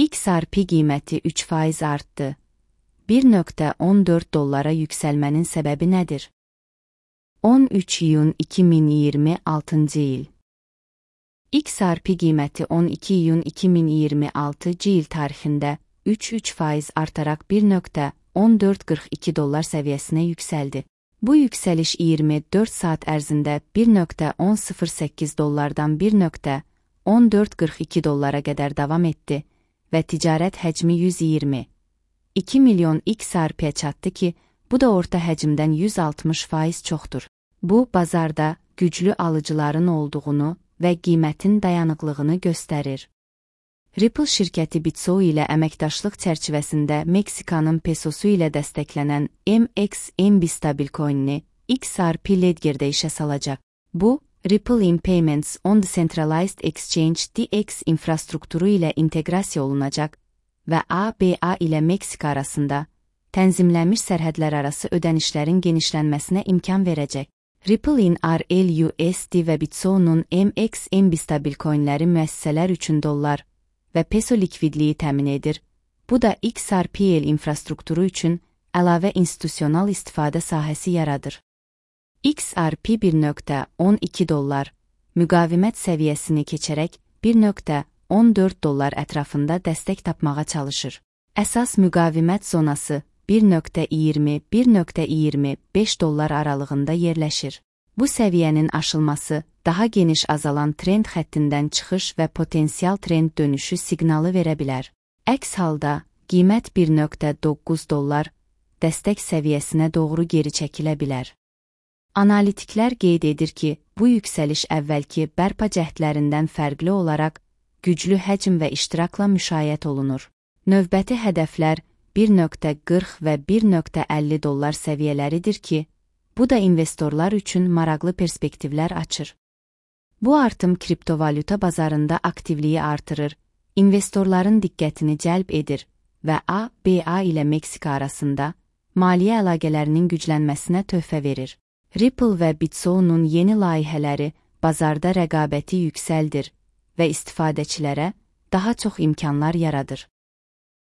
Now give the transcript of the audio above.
XRP qiyməti 3% artdı. 1.14 dollara yüksəlmənin səbəbi nədir? 13 iyun 2026 il. XRP qiyməti 12 iyun 2026 il tarixində 3% artaraq 1.1442 dollar səviyyəsinə yüksəldi. Bu yüksəliş 24 saat ərzində 1.1008 dollardan 1.1442 dollara qədər davam etdi və ticarət həcmi 122 milyon XRP-yə çatdı ki, bu da orta həcmdən 160% çoxdur. Bu, bazarda güclü alıcıların olduğunu və qiymətin dayanıqlığını göstərir. Ripple şirkəti BitSo ilə əməkdaşlıq çərçivəsində Meksikanın pesosu ilə dəstəklənən MXMB stablecoinini XRP Ledger'də işə salacaq. Bu, Ripple in Payments on Decentralized Exchange DX infrastrukturu ilə inteqrasiya olunacaq və ABA ilə Meksika arasında tənzimlənmiş sərhədlərarası ödənişlərin genişlənməsinə imkan verəcək. Ripple in RLUSD və BitSo'nun MXMB stablecoinləri müəssisələr üçün dollar və peso likvidliyi təmin edir. Bu da XRPL infrastrukturu üçün əlavə institusional istifadə sahəsi yaradır. XRP 1.12 dollar müqavimət səviyyəsini keçərək 1.14 dollar ətrafında dəstək tapmağa çalışır. Əsas müqavimət zonası 1.20-1.25 dollar aralığında yerləşir. Bu səviyyənin aşılması daha geniş azalan trend xəttindən çıxış və potensial trend dönüşü siqnalı verə bilər. Əks halda, qiymət 1.9 dollar dəstək səviyyəsinə doğru geri çəkilə bilər. Analitiklər qeyd edir ki, bu yüksəliş əvvəlki bərpa cəhdlərindən fərqli olaraq güclü həcm və iştirakla müşayiət olunur. Növbəti hədəflər 1.40 və 1.50 dollar səviyyələridir ki, bu da investorlar üçün maraqlı perspektivlər açır. Bu artım kriptovalyuta bazarında aktivliyi artırır, investorların diqqətini cəlb edir və ABA ilə Meksika arasında maliyyə əlaqələrinin güclənməsinə töhfə verir. Ripple və BitSo'nun yeni layihələri bazarda rəqabəti yüksəldir və istifadəçilərə daha çox imkanlar yaradır.